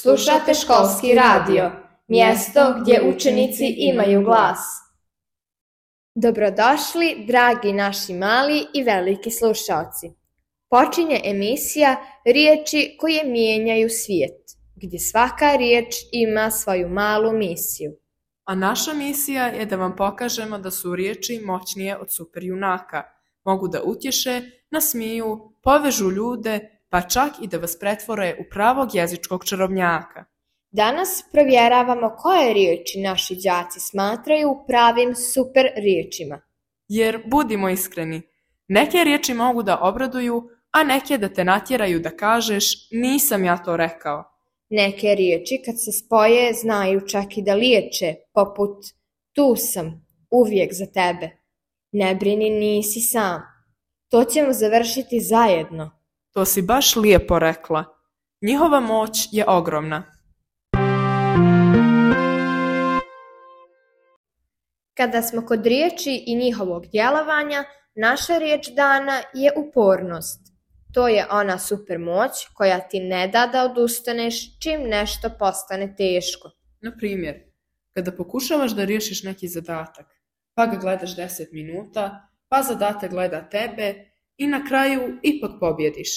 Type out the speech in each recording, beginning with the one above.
Slušate školski radio, mjesto gdje učenici imaju glas. Dobrodošli, dragi naši mali i veliki slušaoci. Počinje emisija Riječi koje mijenjaju svijet, gdje svaka riječ ima svoju malu misiju. A naša misija je da vam pokažemo da su riječi moćnije od superjunaka. Mogu da utješe, nasmiju, povežu ljude, pa čak i da vas pretvore u pravog jezičkog čarobnjaka. Danas provjeravamo koje riječi naši đaci smatraju pravim super riječima. Jer, budimo iskreni, neke riječi mogu da obraduju, a neke da te natjeraju da kažeš nisam ja to rekao. Neke riječi kad se spoje znaju čak i da liječe, poput tu sam, uvijek za tebe. Ne brini, nisi sam. To ćemo završiti zajedno. To si baš lijepo rekla. Njihova moć je ogromna. Kada smo kod riječi i njihovog djelovanja, naša riječ dana je upornost. To je ona super moć koja ti ne da da odustaneš čim nešto postane teško. Na primjer, kada pokušavaš da riješiš neki zadatak, pa ga gledaš 10 minuta, pa zadatak gleda tebe i na kraju ipak pobjediš.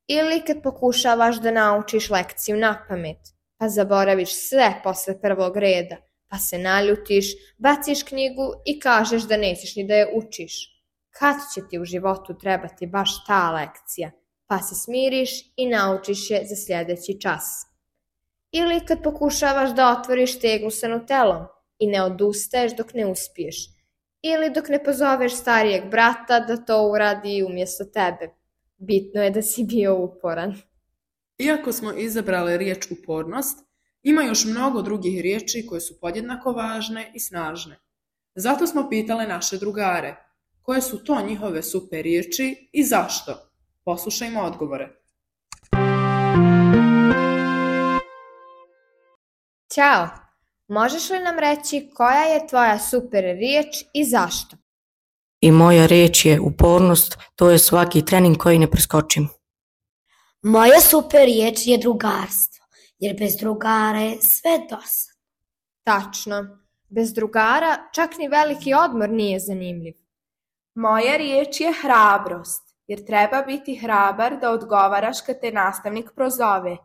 Ili kad pokušavaš da naučiš lekciju napamet, pa zaboraviš sve posle prvog reda, pa se naljutiš, baciš knjigu i kažeš da nećeš ni da je učiš. Kad će ti u životu trebati baš ta lekcija, pa se smiriš i naučiš je za sljedeći čas. Ili kad pokušavaš da otvoriš teglu sa nutelom i ne odustaješ dok ne uspiješ. Ili dok ne pozoveš starijeg brata da to uradi umjesto tebe. Bitno je da si bio uporan. Iako smo izabrali riječ upornost, ima još mnogo drugih riječi koje su podjednako važne i snažne. Zato smo pitali naše drugare, koje su to njihove super riječi i zašto? Poslušajmo odgovore. Ćao! Možeš li nam reći koja je tvoja super riječ i zašto? I moja riječ je upornost, to je svaki trening koji ne preskočim. Moja super riječ je drugarstvo, jer bez drugara je sve dosadno. Tačno, bez drugara čak ni veliki odmor nije zanimljiv. Moja riječ je hrabrost, jer treba biti hrabar da odgovaraš kad te nastavnik prozove.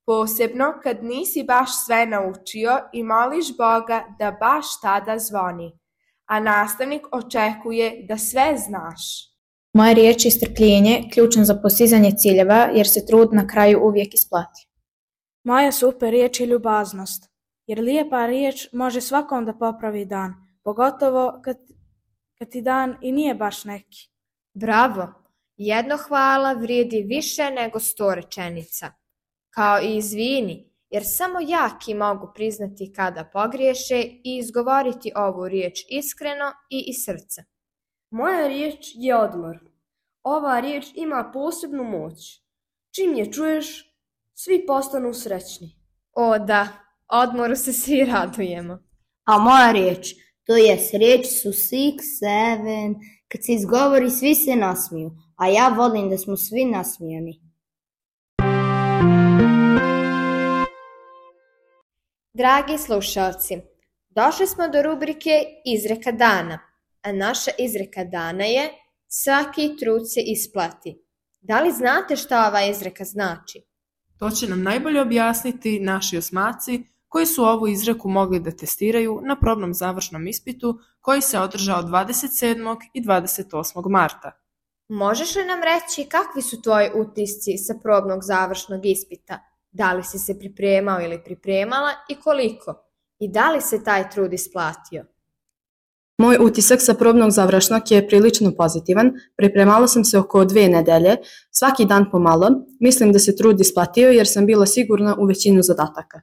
Posebno kad nisi baš sve naučio i moliš Boga da baš tada zvoni, a nastavnik očekuje da sve znaš. Moja riječ je strpljenje, ključno za postizanje ciljeva, jer se trud na kraju uvijek isplati. Moja super riječ je ljubaznost, jer lijepa riječ može svakom da popravi dan, pogotovo kad ti dan i nije baš neki. Bravo! Jedno hvala vrijedi više nego 100 rečenica. Kao i izvini, jer samo jaki mogu priznati kada pogriješe i izgovoriti ovu riječ iskreno i iz srca. Moja riječ je odmor. Ova riječ ima posebnu moć. Čim je čuješ, svi postanu srećni. O da, odmoru se svi radujemo. A moja riječ, to je riječ su 6, 7, kad se izgovori svi se nasmiju, a ja volim da smo svi nasmijani. Dragi slušalci, došli smo do rubrike Izreka dana, a naša izreka dana je svaki trud se isplati. Da li znate šta ova izreka znači? To će nam najbolje objasniti naši osmaci koji su ovu izreku mogli da testiraju na probnom završnom ispitu koji se održao 27. i 28. marta. Možeš li nam reći kakvi su tvoji utisci sa probnog završnog ispita? Da li si se pripremao ili pripremala i koliko? I da li se taj trud isplatio? Moj utisak sa probnog završnog je prilično pozitivan. Pripremala sam se oko 2 nedelje, svaki dan pomalo. Mislim da se trud isplatio jer sam bila sigurna u većinu zadataka.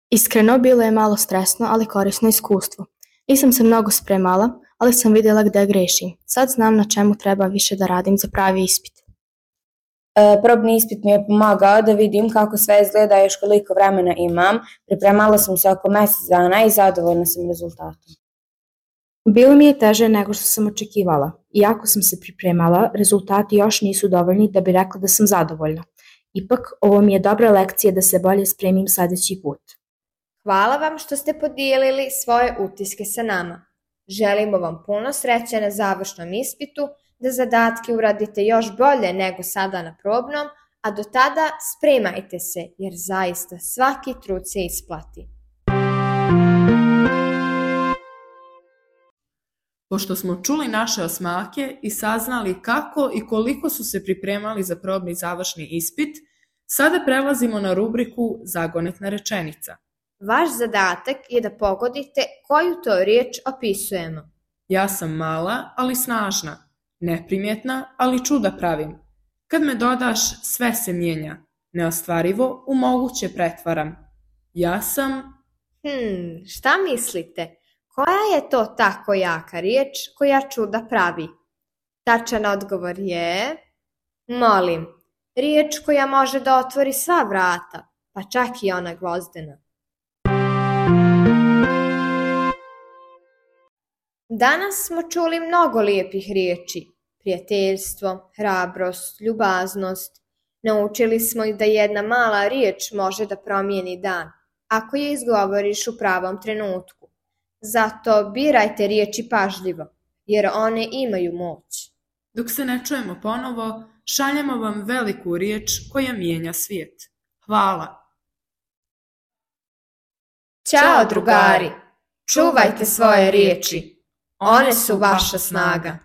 Iskreno, bilo je malo stresno, ali korisno iskustvo. Nisam se mnogo spremala, ali sam vidjela gdje grešim. Sad znam na čemu treba više da radim za pravi ispit. Probni ispit mi je pomagao da vidim kako sve izgleda i još koliko vremena imam. Pripremala sam se oko mjesec dana i zadovoljna sam rezultatom. Bilo mi je teže nego što sam očekivala. Iako sam se pripremala, rezultati još nisu dovoljni da bi rekla da sam zadovoljna. Ipak, ovo mi je dobra lekcija da se bolje spremim sljedeći put. Hvala vam što ste podijelili svoje utiske sa nama. Želimo vam puno sreće na završnom ispitu, da zadatke uradite još bolje nego sada na probnom, a do tada spremajte se jer zaista svaki trud se isplati. Pošto smo čuli naše osmake i saznali kako i koliko su se pripremali za probni završni ispit, sada prelazimo na rubriku Zagonetna rečenica. Vaš zadatak je da pogodite koju to riječ opisujemo. Ja sam mala, ali snažna, neprimjetna, ali čuda pravim. Kad me dodaš, sve se mijenja, neostvarivo u moguće pretvaram. Ja sam... Šta mislite? Koja je to tako jaka riječ koja čuda pravi? Tačan odgovor je... Molim, riječ koja može da otvori sva vrata, pa čak i ona gvozdena. Danas smo čuli mnogo lijepih riječi. Prijateljstvo, hrabrost, ljubaznost. Naučili smo i da jedna mala riječ može da promijeni dan, ako je izgovoriš u pravom trenutku. Zato birajte riječi pažljivo, jer one imaju moć. Dok se ne čujemo ponovo, šaljemo vam veliku riječ koja mijenja svijet. Hvala! Ćao drugari! Čuvajte svoje riječi. One su vaša snaga.